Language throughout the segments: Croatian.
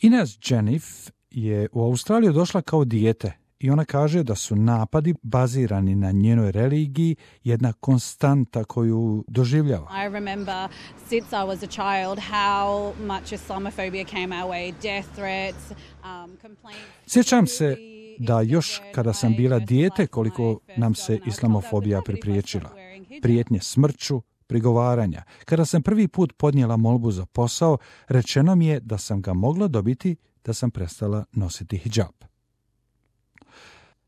Ines Jeniff je u Australiju došla kao dijete i ona kaže da su napadi bazirani na njenoj religiji jedna konstanta koju doživljava. I remember since I was a child how much Islamophobia came our way, death threats, complaints. Sjećam se da još kada sam bila dijete koliko nam se islamofobija pripriječila. Prijetnje smrću, prigovaranja. Kada sam prvi put podnijela molbu za posao, rečeno mi je da sam ga mogla dobiti da sam prestala nositi hidžab.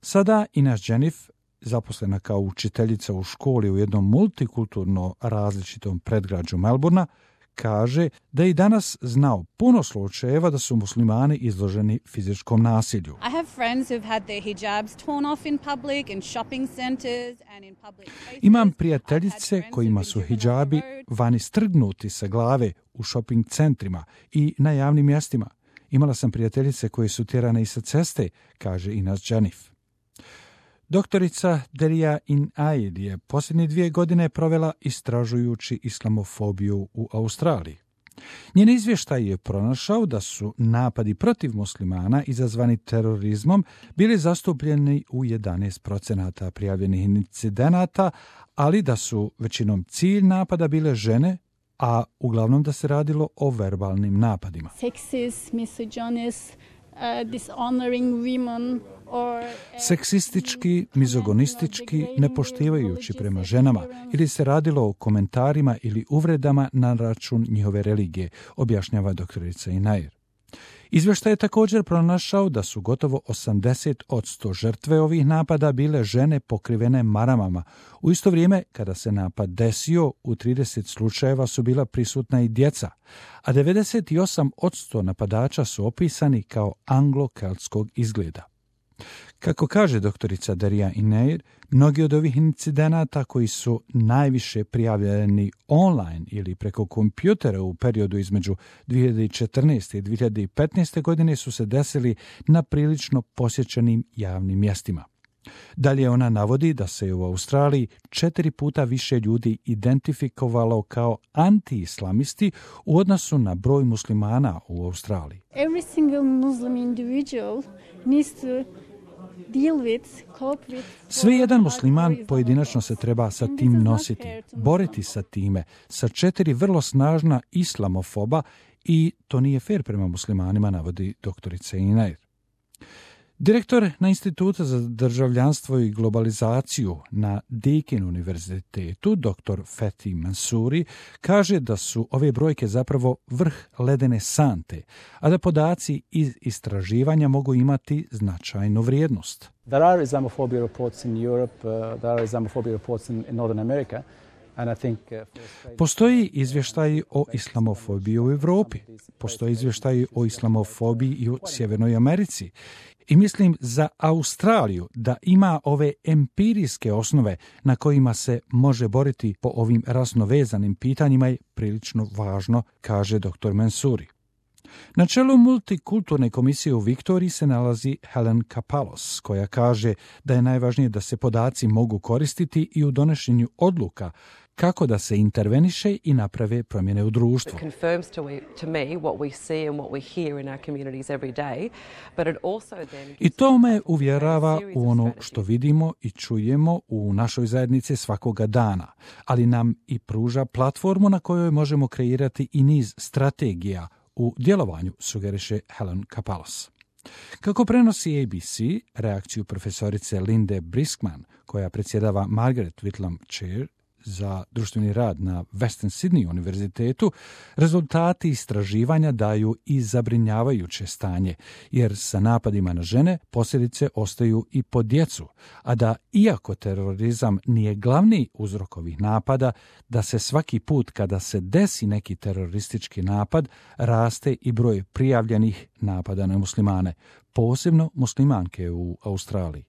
Sada Ines Jeniff, zaposlena kao učiteljica u školi u jednom multikulturno različitom predgrađu Melbourna, kaže da i danas znao puno slučajeva da su muslimani izloženi fizičkom nasilju. I have friends who've had their hijabs torn off in public, in shopping centers and in public places. Imam prijateljice kojima su hidžabi vani strgnuti sa glave u shopping centrima i na javnim mjestima. Imala sam prijateljice koje su tjerane i sa ceste, kaže Ines Jeniff. Doktorica Deria In-Aid je posljednje 2 godine provela istražujući islamofobiju u Australiji. Njen izvještaj je pronašao da su napadi protiv muslimana izazvani terorizmom bili zastupljeni u 11% prijavljenih incidenata, ali da su većinom cilj napada bile žene, a uglavnom da se radilo o verbalnim napadima. Sexist, misogynist, dishonoring women or Seksistički, mizogonistički, nepoštivajući prema ženama ili se radilo o komentarima ili uvredama na račun njihove religije, objašnjava doktorica Inair. Izvještaj je također pronašao da su gotovo 80% žrtve ovih napada bile žene pokrivene maramama. U isto vrijeme, kada se napad desio, u 30 slučajeva su bila prisutna i djeca, a 98% napadača su opisani kao anglo-keltskog izgleda. Kako kaže doktorica Deria In-Aid, mnogi od ovih incidenata koji su najviše prijavljeni online ili preko kompjutera u periodu između 2014. i 2015. godine su se desili na prilično posjećenim javnim mjestima. Dalje ona navodi da se u Australiji 4 puta više ljudi identifikovalo kao anti-islamisti u odnosu na broj muslimana u Australiji. every single Muslim individual needs to deal with, cope with. Sve jedan musliman pojedinačno se treba sa tim nositi, boriti sa time, sa 4 vrlo snažna islamofoba i to nije fair prema muslimanima, navodi doktorica Inair. Direktor na Institutu za državljanstvo i globalizaciju na Deakin univerzitetu, dr. Fethi Mansouri, kaže da su ove brojke zapravo vrh ledene sante, a da podaci iz istraživanja mogu imati značajnu vrijednost. There are Islamophobia reports in Europe, there are Islamophobia reports in Northern America. Postoji izvještaji o islamofobiji u Europi, postoji izvještaji o islamofobiji i u Sjevernoj Americi. I mislim za Australiju da ima ove empirijske osnove na kojima se može boriti po ovim rasno vezanim pitanjima je prilično važno, kaže dr. Mansouri. Na čelu multikulturne komisije u Viktoriji se nalazi Helen Kapalos, koja kaže da je najvažnije da se podaci mogu koristiti i u donošenju odluka kako da se interveniše i naprave promjene u društvu. I to me uvjerava u ono što vidimo i čujemo u našoj zajednici svakoga dana, ali nam i pruža platformu na kojoj možemo kreirati i niz strategija u djelovanju, sugeriše Helen Kapalos. Kako prenosi ABC reakciju profesorice Linde Briskman, koja predsjedava Margaret Whitlam Chair za društveni rad na Western Sydney univerzitetu, rezultati istraživanja daju i zabrinjavajuće stanje, jer sa napadima na žene posljedice ostaju i po djecu, a da iako terorizam nije glavni uzrok ovih napada, da se svaki put kada se desi neki teroristički napad, raste i broj prijavljenih napada na muslimane, posebno muslimanke u Australiji.